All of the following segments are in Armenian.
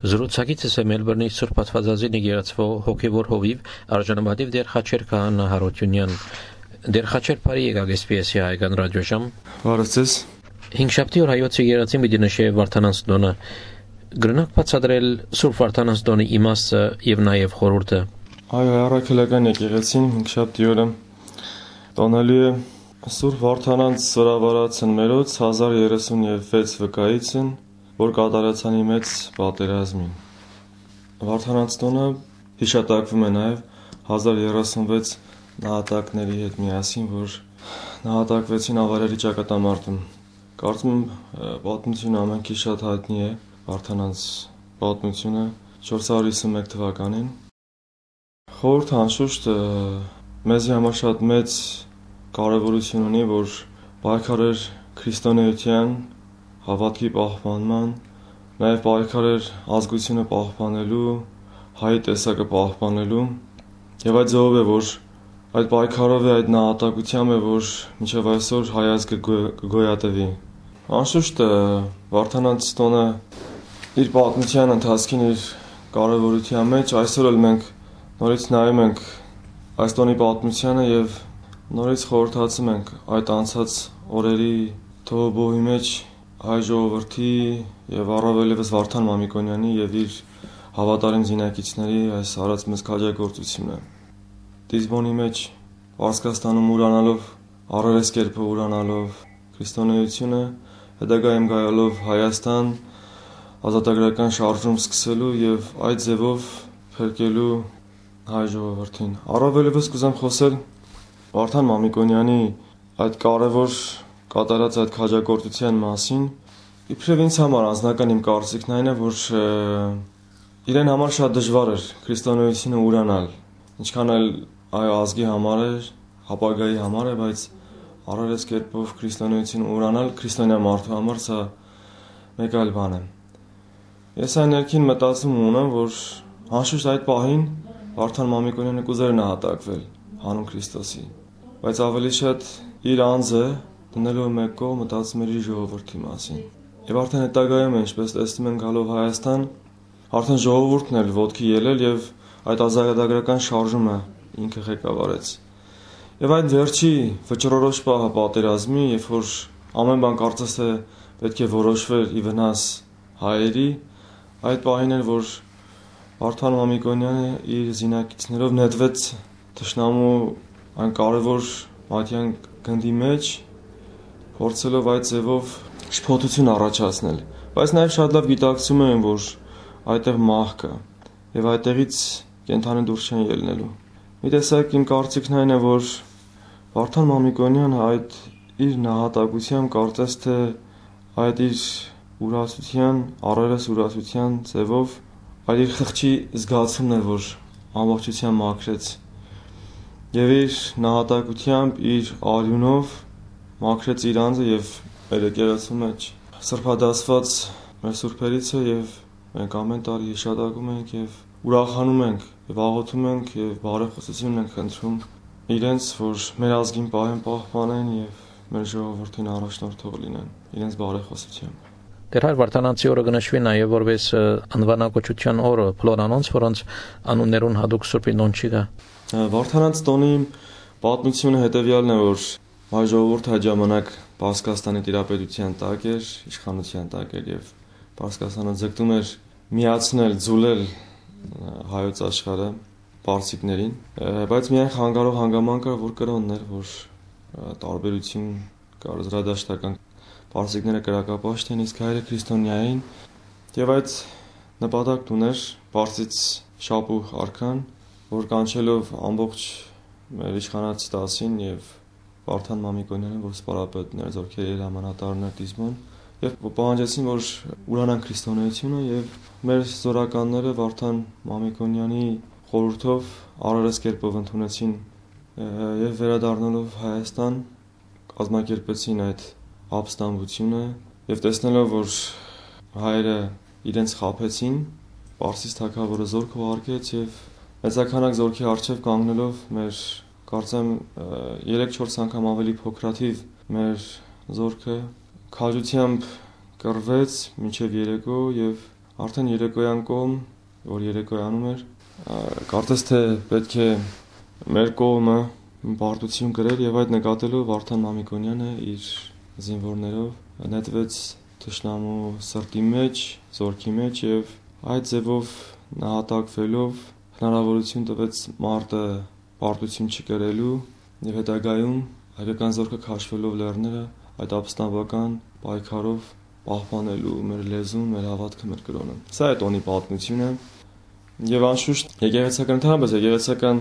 Զրուցակիցս է Մելբուրնի Սուրբ Աստվածածին եկեղեցվո հոգևոր հովիվ արժանապատիվ Դեր Խաչեր Քահանա Հարությունյան։ Դեր Խաչեր բարի եկաք SPS հայկական ռադիոժամ։ Բարեցես։ Հինգշաբթի օր հայոց եկեղեցին պիտի նշե Վարդանանց տոնը։ Գրնակ բացատրել Սուրբ Վարդանանց տոնի իմաստը եւ նաեւ խորհուրդը։ Այո, առաքելական եկեղեցին հինգշաբթի օրը տոնալի է Սուրբ Վարդանանց սրավարացն մերոց 1036 վկայիցն, որ կատարացանի մեծ պատերազմին։ Վարդանանց տոնը հիշատակվում է նաև 1036 նահատակների հետ միասին, որ նահատակվեցին ավարերի ճակատամարտում։ Կարծում եմ պատմությունը ամենքի շատ հայտնի է, Վարդանանց պատմությունը 451 թվականին։ Խորհուրդ անշուշտ մեզի համար շատ մեծ կարևորություն ունի, որ պայքարեր քրիստոնեության հավատքի պահպանման, նաև պայքարեր ազգությունը պահպանելու, հայի տեսակը պահպանելու, եւ այդ ձևով է, որ այդ պայքարով է, այդ նահատակությամբ է, որ մինչև այսօր հայ ազգը կգոյատևի։ Անշուշտ Վարդանանց տոնը իր պատմության ընթացքին իր կարևորության մեջ այսօր էլ մենք նորից նայում ենք այս տոնի պատմությանը եւ նորից խորհրդացում ենք այդ անցած օրերի թոհուբոհի մեջ հայ ժողովրդի եւ առավելևս Վարդան Մամիկոնյանի եւ իր հավատարիմ զինակիցների այս արած մեծ քաջագործությունը։ Դիզբոնի մեջ Պարսկաստանում ուրանալով, առերես կերպով ուրանալով քրիստոնեությունը, հետագայում գայալով Հայաստան ազատագրական շարժում սկսելու եւ այդ ձևով փրկելու հայ ժողովրդին։ Առավելևս կուզեմ խոսել Վարդան Մամիկոնյանի այդ կարևոր կատարած այդ քաջագործության մասին։ Իբրև ինձ համար անձնական իմ կարծիքն այն է, որ իրեն համար շատ դժվար էր քրիստոնեությունը ուրանալ, ինչքան էլ այո ազգի համար էր, ապագայի համար է, բայց առերես կերպով քրիստոնեությունը ուրանալ քրիստոնյա մարդու համար սա մեկ այլ բան է։ Ես այն ներքին մտածում ունեմ, որ անշուշտ այդ պահին Վարդան Մամիկոնյանը կուզեր նահատակվել հանուն Քրիստոսի, բայց ավելի շատ իր անձը դնելով մեկ կողմ մտածում էր իր ժողովրդի մասին։ Եվ արդեն հետագայում է, ինչպես տեսնում ենք գալով Հայաստան, արդեն ժողովուրդն էլ ոտքի ելել եւ այդ ազատագրական շարժումը ինքը ղեկավարեց։ Եվ այդ վերջի վճռորոշ պահը պատերազմի, երբ որ ամեն բան կարծես թե պետք է որոշվեր ի վնաս հայերի, այդ պահին էր, որ Վարդան Մամիկոնյանը իր զինակիցներով նետվեց թշնամու այն կարևոր մատյան գնդի մեջ, փորձելով այդ ձևով շփոթություն առաջացնել, բայց նաև շատ լավ գիտակցում են, որ այդտեղ մահ կա եւ այդտեղից կենթանի դուրս չեն ելնելու։ Մի տեսակ իմ կարծիքն այն է, որ Վարդան Մամիկոնյանը այդ իր նահատակությամբ կարծես թե այդ իր ուրացության, առերես ուրացության ձևով այլ իր խղճի զգացումն է, որ ամբողջությամբ մաքրեց եւ իր նահատակությամբ, իր արյունով մաքրեց իր անձը եւ մեր եկեղեցու մեջ սրբադասված մեր սուրբերից է եւ մենք ամեն տարի հիշատակում ենք եւ ուրախանում ենք եւ աղոթում ենք եւ բարեխոսություն ենք խնդրում իրենց, որ մեր ազգին պահպանեն եւ մեր ժողովրդին առաջնորդող լինեն իրենց բարեխոսությամբ։ Դեր հայր Վարդանանցի օրը կնշվի նաեւ որպես անվանակոչության օրը փլորանոնց, որոնց անուններուն հadouk Սուրբի նոն չի գա։ Վարդանանց տոնի պատմությունը հետեւյալն է, որ հայ ժողովուրդը այդ ժամանակ Պարսկաստանի տիրապետության տակ էր, իշխանության տակ էր եւ Պարսկաստանը ձգտում էր միացնել, ձուլել հայոց աշխարհը պարսիկներին, բայց միայն խանգարող հանգամանք կար, որ կրոնն էր, որ տարբերություն կար զրադաշտական պարսիկները կրակապաշտ են, իսկ հայերը քրիստոնյա էին եւ այդ նպատակն ուներ Պարսից շապուհ արքան, որ կանչելով ամբողջ մեր իշխանած դասին եւ Վարդան Մամիկոնյանը, որ սպարապետներ, զորքերի հրամանատարներ դիզմոն եւ պահանջեցին, որ ուրանան քրիստոնեությունը եւ մեր զորականները Վարդան Մամիկոնյանի խորհրդով առերես կերպով ընդունեցին եւ վերադառնալով Հայաստան կազմակերպեցին այդ ապստամբությունը եւ տեսնելով, որ հայերը իրենց խաբեցին, Պարսից թագավորը զորք ուղարկեց եւ մեծականակ զորքի առջև կանգնելով մեր կարծեմ 3-4 անգամ ավելի փոքրաթիվ մեր զորքը քաջությամբ կռվեց մինչև երեկո եւ Արդեն երեկոյան կողմ, որ երեկոյանում էր, կարծես թե պետք է մեր կողմը պարտություն գրել եւ այդ նկատելով Վարդան Մամիկոնյանը իր զինվորներով նետվեց թշնամու սրտի մեջ, զորքի մեջ եւ այդ ձևով նահատակվելով հնարավորություն տվեց մարտը պարտություն չկրելու եւ հետագայում հայկական զորքը քաշվելով լեռները այդ ապստամբական պայքարով պահպանելու մեր լեզուն, մեր հավատքը, մեր կրոնը։ Սա է տոնի պատմությունը եւ անշուշտ եկեղեցական ընդհանրապես եկեղեցական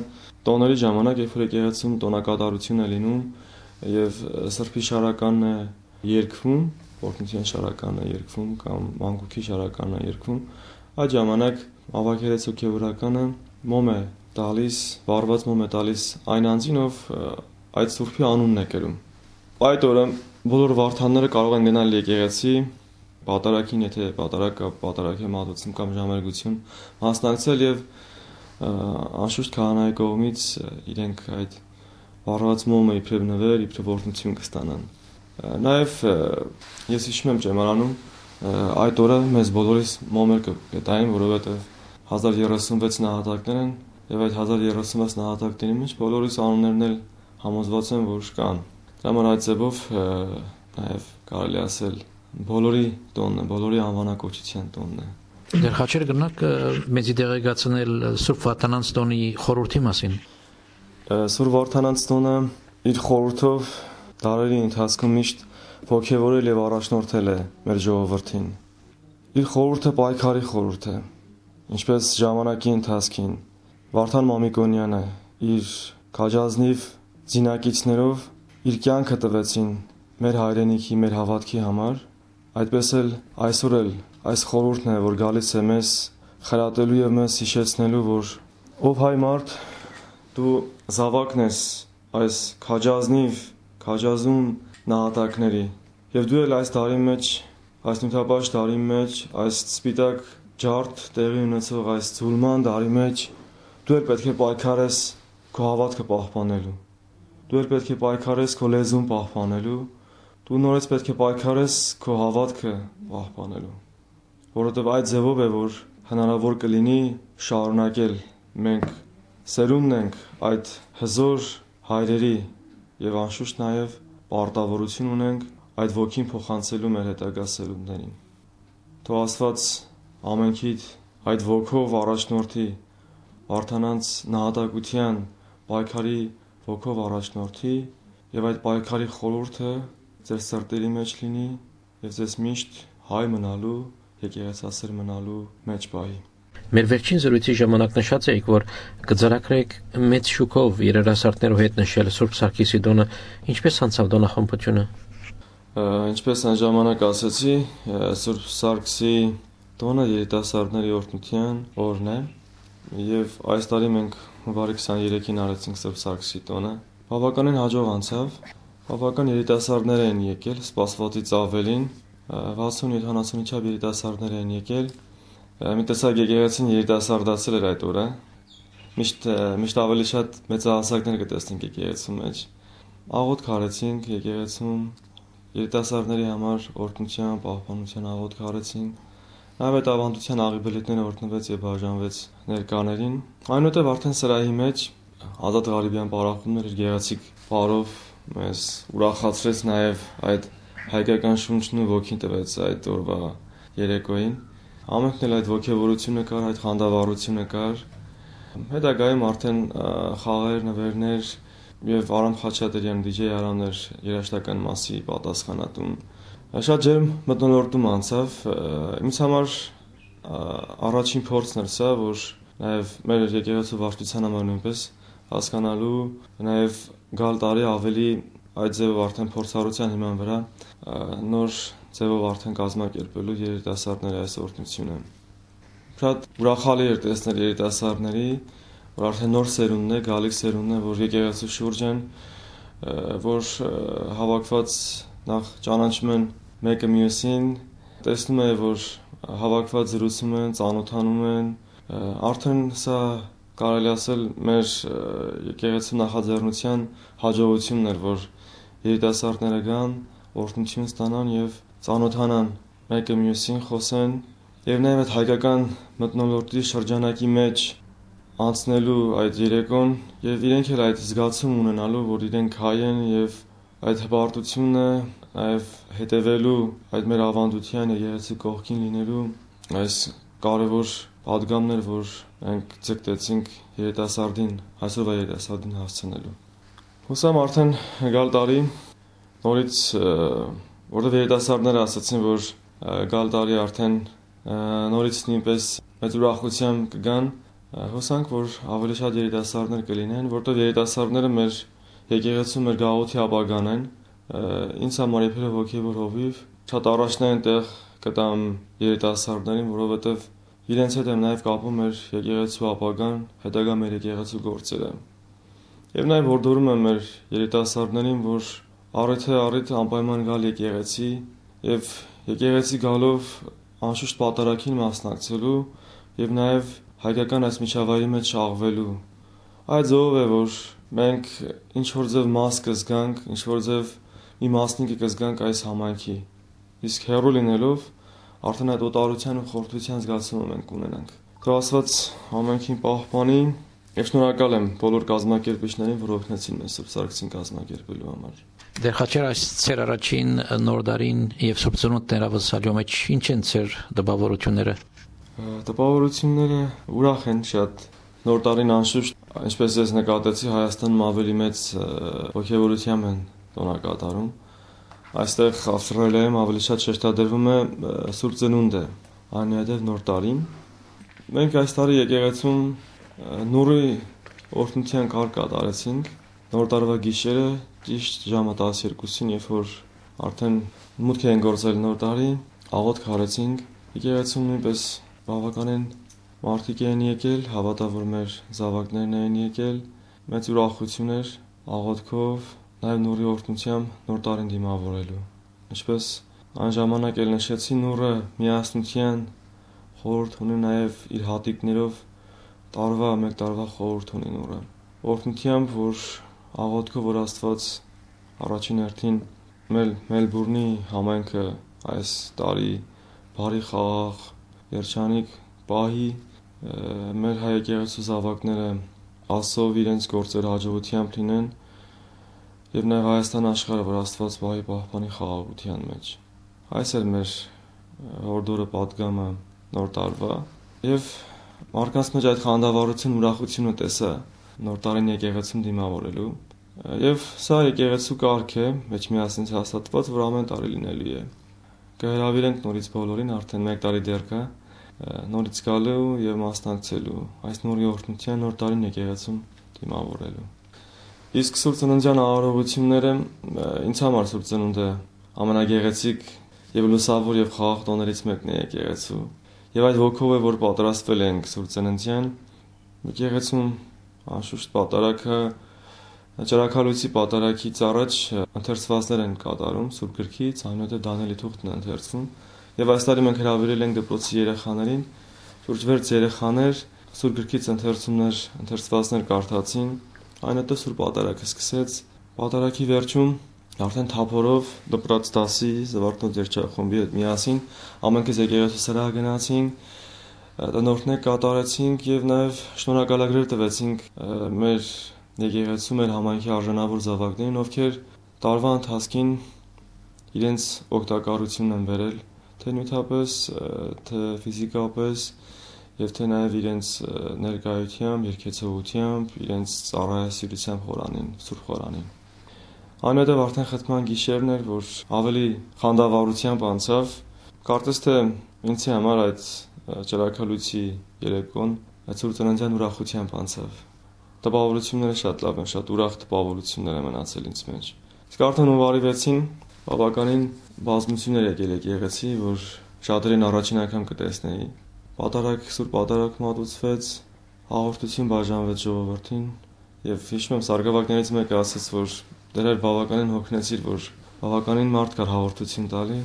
տոների ժամանակ, երբ որ եկեղեցում տոնակատարություն է լինում եւ սրբի շարականն է երգվում, օրհնության շարականն է երգվում կամ մանկուքի շարականն է երգվում, այդ ժամանակ ավագերից հոգեվորականը մոմ է տալիս, վառված մոմ է տալիս այն անձին, ով այդ սուրբի անունն է կրում։ Այդ օրը բոլոր վարդանները կարող են գնալ եկեղեցի, պատարագին, եթե պատարագ է մատուցում կամ ժամերգություն մասնակցել եւ անշուշտ քահանայի կողմից իրենք այդ վառված մոմը իբրև նվեր, իբրև օրհնություն կստանան։ Նաեւ ես հիշում եմ ճեմարանում այդ օրը մեզ բոլորիս մոմեր կտային, որովհետեւ 1036 նահատակներ են եւ այդ 1036 նահատակների մեջ բոլորիս անուններն էլ համոզված են, որ կան։ Դրա համար այդ ձևով նաեւ կարելի ասել բոլորի տոնն է, բոլորի անվանակոչության տոնն է։ Դեր խաչեր գնաք մեծի դեղեկացնել Սուրբ Վարդանանց տոնի խորհրդի մասին։ Սուրբ Վարդանանց տոնը իր խորհրդով դարերի ընթացքում միշտ ոգևորել եւ առաջնորդել է մեր ժողովրդին։ Իր խորհուրդը պայքարի խորհուրդ է։ Ինչպես ժամանակի ընթացքին Վարդան Մամիկոնյանը իր քաջազնիվ զինակիցներով իր կյանքը տվեցին մեր հայրենիքի, մեր հավատքի համար, այդպես էլ այսօր էլ այս խորհուրդն է, որ գալիս է մեզ խրատելու եւ մեզ հիշեցնելու, որ ով հայ մարդ դու զավակն ես այս քաջազում նահատակների եւ դու էլ այս տարի մեջ, այս նյութապաշտ տարի մեջ, այս սպիտակ ջարդ տեղի ունեցող այս ցուլման տարի մեջ դու էլ պետք է պայքարես քո հավատքը պահպանելու։ Դու էլ պետք է պայքարես քո լեզուն պահպանելու։ Դու նորից պետք է պայքարես քո հավատքը պահպանելու։ Որովհետև այդ ձևով է, որ հնարավոր կլինի շարունակել։ Մենք սերունդն ենք այդ հզոր հայրերի եւ անշուշտ նաեւ պարտավորություն ունենք այդ ոգին փոխանցելու մեր հետագա սերունդներին։ Թող Աստված ամենքիդ այդ ոգով առաջնորդի Վարդանանց նահատակության պայքարի ոգով առաջնորդի եւ այդ պայքարի խորհուրդը ձեր սրտերի մեջ լինի եւ ձեզ միշտ հայ մնալու, եկեղեցասեր մնալու մեջ պահի։ Մեր վերջին զրույցի ժամանակ նշած էիք, որ կձեռագրեք մեծ շուկով երիտասարդներով հետ նշել Սուրբ Սարգիսի տոնը, ինչպես անցավ տոնախմբությունը։ Ինչպես այն ժամանակ ասացի, Սուրբ Սարգսի տոնը երիտասարդների օրհնության օրն է եւ այս տարի մենք հունվարի 23-ին արեցինք Սուրբ Սարգսի տոնը։ Բավականին հաջող անցավ։ Բավական երիտասարդներ են եկել, սպասվածից ավելին 60-70 չափ երիտասարդներ են եկել։ Մի տեսակ եկեղեցին երիտասարդացել էր այդ օրը։ Միշտ ավելի շատ մեծահասակներ կտեսնենք եկեղեցու մեջ։ Աղոթք արեցինք եկեղեցում, երիտասարդների համար օրհնության, պահպանության աղոթք արեցինք։ Նաև այդ ավանդության աղիբելետները օրհնվեց եւ բաժանվեց ներկաներին։ Այնուհետև արդեն սրահի մեջ Ազատ Ղարիբյան պարախումներ իր գեղեցիկ բառով մեզ ուրախացրեց նաև այդ հայկական շունչն ու ոգին տվեց այդ օրվա երեկոյին։ Ամենքն էլ այդ ոգևորությունը կար, այդ խանդավառությունը կար։ Հետագայում արդեն խաղեր, նվերներ եւ Արամ Խաչատրյան DJ Արամներ երաժշտական մասի պատասխանատուն շատ ջերմ մթնոլորտում անցավ։ Ինձ համար առաջին փորձն էր սա, որ նաև մեր եկեղեցու վարչության համար նույնպես հասկանալու, նաև գալ տարի ավելի այդ ձևով արդեն փորձառության հիման վրա նոր ձևով արդեն կազմակերպելու երիտասարդների այս օրհնությունը։ Շատ ուրախալի էր տեսնել երիտասարդների, որ արդեն նոր սերունդն է, գալիք սերունդն է, որ եկեղեցու շուրջ են, որ հավաքված նախ ճանաչում են մեկը մյուսին, տեսնում է, որ հավաքված զրուցում են, ծանոթանում են, արդեն սա կարելի ասել մեր եկեղեցու նախաձեռնության հաջողությունն էր, որ երիտասարդները գան, օրհնություն ստանան եւ ծանոթանան մեկը մյուսին, խոսեն Եվ նաև այդ հայկական մթնոլորտի շրջանակի մեջ անցնելու այդ երեկոն եւ իրենք էլ այդ զգացում ունենալու, որ իրենք հայ են եւ այդ հպարտությունը նաև հետևելու այդ մեր ավանդության եկեղեցի կողքին լինելու այս կարևոր պատգամներ, որ մենք ձգտեցինք երիտասարդին, այսօրվա երիտասարդին հասցնելու։ Հուսամ արդեն գալ տարի նորից, որտեղ երիտասարդները ասացին, որ գալ տարի արդեն նորից նույնպես մեծ ուրախությամբ կգան, հուսանք, որ ավելի շատ երիտասարդներ կլինեն, որտեղ երիտասարդները մեր եկեղեցու մեր գաղութի ապագան են, ինձ համար իբրև հոգևոր հովիվ շատ առաջնային տեղ կտամ երիտասարդներին, որովհետև իրենց հետ եմ նաև կապում մեր եկեղեցու ապագան, հետագա մեր եկեղեցու գործերը։ Եվ նաև հորդորում եմ մեր երիտասարդներին, որ առիթ անպայման գալ եկեղեցի եւ եկեղեցի գալով անշուշտ պատարագին մասնակցելու եւ նաև հայկական այս միջավայրի մեջ շաղվելու։ Այդ ձևով է, որ մենք ինչ որ ձև մաս կզգանք, ինչ որ ձև մի մասնիկը կզգանք այս համայնքի։ Իսկ հեռու լինելով արդեն այդ օտարության ու խորթության զգացումը մենք ունենանք։ Թող Աստված համայնքին պահպանի եւ շնորհակալ եմ բոլոր կազմակերպիչներին, որ օգնեցին մեզ Սուրբ Սարգսին կազմակերպելու համար։ Դեր Խաչեր, այս ծեր առաջին նոր դարին եւ Սուրբ Ծնունդ ներավսալյու մեջ ինչ են ծեր դպավորությունները։ Տպավորությունները ուրախ են շատ։ Նոր տարին անշուշտ, ինչպես ես նկատեցի, Հայաստանում ավելի մեծ ոգևորությամբ են տոնակատարում։ Այստեղ Ավստրալիայում ավելի շատ շեշտադրվում է Սուրբ Ծնունդը, այնուհետև Նոր տարին։ Մենք այս տարի եկեղեցում նորի օրհնության կարգ կատարեցինք։ Նոր տարվա գիշերը ճիշտ ժամը 12-ին, երբ որ արդեն մուտք են գործել նոր տարի, աղոթք արեցինք։ Եկեղեցում նույնպես բավականին մարդիկ են եկել, հավատա որ մեր զավակներն են եկել, մեծ ուրախություն էր աղոթքով, նաև նորի օրհնությամբ նոր տարին դիմավորելու։ Ինչպես այն ժամանակ էլ նշեցի, նորը միասնության խորհուրդ ունի, նաև իր հատիկներով մեկ տարվա խորհուրդ ունի նորը։ Օրհնությամբ, որ աղոթքով, որ Աստված առաջին հերթին Մելբուրնի համայնքը այս տարի բարի խաղաղ երջանիկ պահի, մեր հայ եկեղեցու զավակները Աստծով իրենց գործերը հաջողությամբ լինեն եւ նաեւ Հայաստան աշխարհը, որ Աստված պահի պահպանի խաղաղության մեջ։ Այս էր մեր հորդորը պատգամը նոր տարվա եւ մարդկանց մեջ այդ խանդավառություն, ուրախությունը տեսա նոր տարին եկեղեցում դիմավորելու եւ սա եկեղեցու կարգ է, մեջ միասին հաստատված, որ ամեն տարի լինելու է։ Կհրավիրենք նորից բոլորին, արդեն 1 տարի դեռ կա, նորից գալու եւ մասնակցելու այս նորի օրհնության նոր տարին եկեղեցում դիմավորելու։ Իսկ Սուրբ Ծննդյան արարողությունները ինձ համար Սուրբ Ծնունդը ամենագեղեցիկ եւ լուսավոր եւ խաղաղ տոներից մեկն է եկեղեցու։ Եվ այդ ոգով է, որ պատրաստվել ենք Սուրբ Ծննդյան եկեղեցում անշուշտ պատարագը Ճրագալույցի պատարագից առաջ ընթերցվածներ են կատարում Սուրբ գրքից, այնուհետև Դանիելի թուղթն է ընթերցվում։ Եվ այս տարի մենք հրավիրել ենք դպրոցի երեխաներին, շուրջ 6 երեխաներ Սուրբ գրքից ընթերցվածներ կարդացին, այնուհետև Սուրբ պատարագը սկսեց։ Պատարագի վերջում արդեն թափորով դպրոց դասի զվարթնոց երգչախումբի հետ միասին ամենքից եկեղեցու սրահ գնացինք, տնօրհնեք կատարեցինք եւ նաեւ շնորհակալագրեր տվեցինք մեր եկեղեցու մեր համայնքի արժանավոր զավակներին, ովքեր տարվա ընթացքին իրենց օգտակարությունն են բերել, թե նյութապես, թե ֆիզիկապես, եւ թե նաեւ իրենց ներկայությամբ, երկեցողությամբ, իրենց ծառայասիրությամբ խորանին, Սուրբ խորանին։ Այնուհետև արդեն խթման գիշերն էր, որ ավելի խանդավառությամբ անցավ, կարծես թե ինձ համար այդ ճրագալույցի երեկոն այդ Սուրբ Ծննդյան ուրախությամբ անցավ։ Տպավորությունները շատ լավ են, շատ ուրախ տպավորություններ են մնացել ինձ մեջ։ Իսկ արդեն հունվարի 6-ին բավականին բազմություններ եկել եկեղեցի, որ շատերին առաջին անգամ կտեսնեի։ Սուրբ պատարագ մատուցվեց, հաղորդություն բաժանվեց ժողովրդին, եւ հիշում եմ սարգսակներից մեկը ասաց, որ դեռ բավականին հոգնեցիր, որ բավականին մարդ կար հաղորդություն տալի։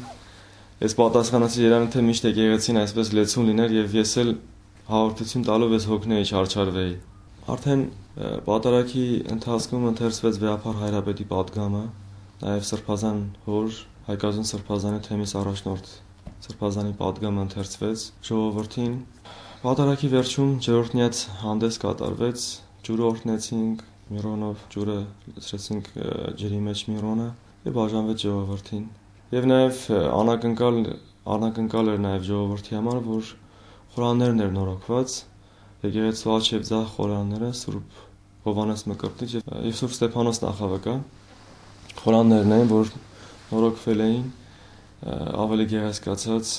Ես պատասխանեցի երանի թե միշտ եկեղեցին այսպես լեցուն լիներ եւ ես էլ հաղորդություն տալով ես հոգնեի, չարչարվեի։ Արդեն պատարագի ընթացքում ընթերցվեց Վեհափար Հայրապետի պատգամը, նաև Սրբազան հոր Հայկազուն Սրբազանի թեմիս առաջնորդ Սրբազանի պատգամը ընթերցվեց ժողովրդին։ Պատարագի վերջում ջրօրհնյաց հանդես կատարվեց, ջուրը օրհնեցինք Միրոնով, ջուրը լցրեցինք ջրի մեջ Միրոնը եւ բաժանվեց ժողովրդին։ Եվ նաեւ անակնկալ էր նաեւ ժողովրդի համար, որ խորաններն էր նորոգված, եկեղեցու աջ եւ ձախ խորանները Սուրբ Հովհաննես Մկրտիչ եւ Սուրբ Ստեփանոս նախավկա խորաններն էին, որ նորոգվել էին, ավելի գեղեցկացած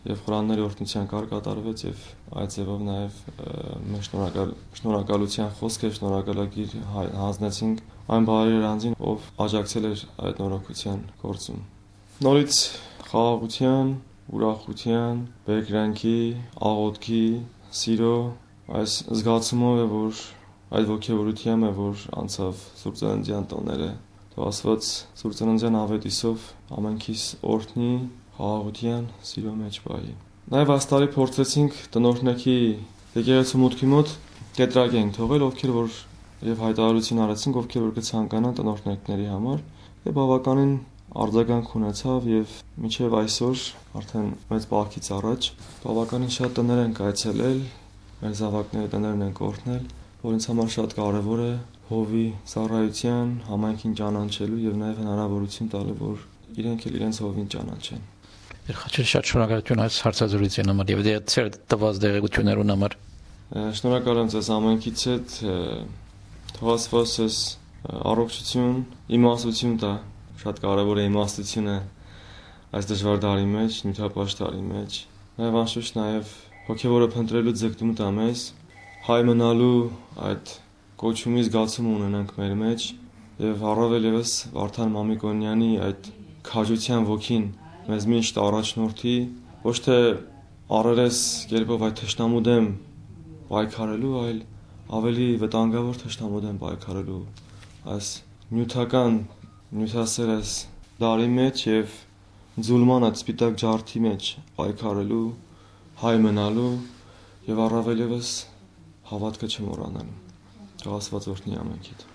եւ խորանների օրհնության կար կատարվեց եւ այդ ձևով նաեւ մեր շնորհակալության խոսք եւ շնորհակալագիր հանձնեցինք այն բարի անձին, ով աջակցել էր այդ նորոգության գործում։ Նորից խաղաղության, ուրախության, բերկրանքի, աղոթքի, սիրո այս զգացումով է, որ այդ ոգևորությամբ է, որ անցավ Սուրբ Ծննդյան տոները։ Թող Աստված Սուրբ Ծննդյան ավետիսով ամենքիս օրհնի, խաղաղության, սիրո մեջ պահի։ Նաև այս տարի փորձեցինք տնօրհնեքի եկեղեցու մուտքի մոտ կետրագենք թողել, ովքեր որ եւ հայտարարություն արեցինք, ովքեր որ կցանկանան տնօրհնեկների համար, եւ բավականին արձագանք ունեցավ եւ մինչեւ այսօր արդեն մեծ բախից առաջ բավականին շատ տներ են կայցելել, մեր զավակների տներն են կօրհնել, որ ինձ համար շատ կարեւոր է հովի ծառայության, համայնքին ճանաչելու եւ նաեւ հնարավորություն տալու, որ իրենք էլ իրենց հովին ճանաչեն։ Խաչել շատ շնորհակալություն այս հարցազրույցի համար եւ դեր տված դեղեցություններուն համար։ Շնորհակալ եմ ձեզ ամենքից հետ, թող Աստված ձեզ առողջություն, իմաստություն տա, շատ կարեւոր է իմաստությունը այս դժվար տարի մեջ, նյութապաշտ տարի մեջ։ Նաեւ անշուշտ նաեւ հոգեվորը փնտրելու ձգտում տա մեզ, հայ մնալու այդ կոչումի զգացում ունենանք մեր մեջ եւ առավել եւս Վարդան Մամիկոնյանի այդ քաջության ոգին մեզ միշտ առաջնորդի, ոչ թե առերես կերպով այդ թշնամու դեմ պայքարելու, այլ ավելի վտանգավոր թշնամու դեմ պայքարելու այս նյութական նյութասեր այս դարի մեջ եւ ձուլման այդ սպիտակ ջարդի մեջ պայքարելու, հայ մնալու եւ առավել եւս հավատքը չմոռանալու։ Թող Աստված օրհնի ամենքիդ։